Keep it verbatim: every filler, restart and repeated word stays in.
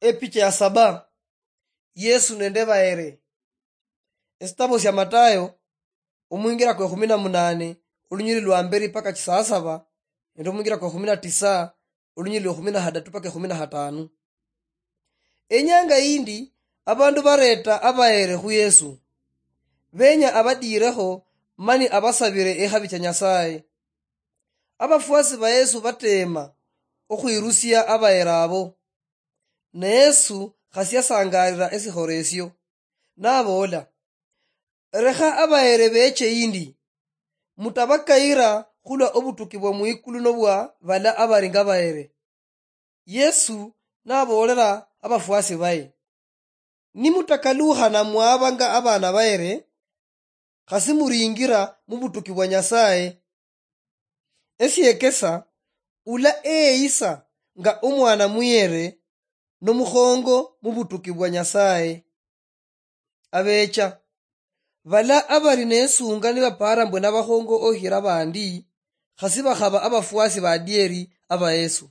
Epicha ya saba. Yesu nende baere. Esitabo sia Matayo, omwingira kwa ekhumi na munane, olunyili lwa mberi paka chisasaba, nende omwingira kwa ekhumi na tisa, olunyili lwa ekhumi na hadatu paka ekhumi na hatanu. Enyanga yindi, abandu bareta abaere khu Yesu. Benya abadiirekho, mani abasabire ekhabi cha Nyasaye. Abafuasi ba Yesu bateema okhwirusia abaere abo. Ne Yesu khasi yasangalira esikhoro esio, naboola, "Lekha abaere beche yindi, mutabakayira khulwa obutuki bwa mwikulu nobwa bala abari nga baere." Yesu naboolera abafuasi baye, "Nimutakalukhana mwaba nga abaana baere, khasi muringira mubutuki bwa Nyasaye. Esiekesa, ula eyeyisa nga omwana muyere, nomukhongo mubutuki bwa Nyasaye." Abecha, bala abari nesunga nibapara mbwe nabakhongo okhira bandi, khasi bakhaba abafuasi badieri aba Yesu.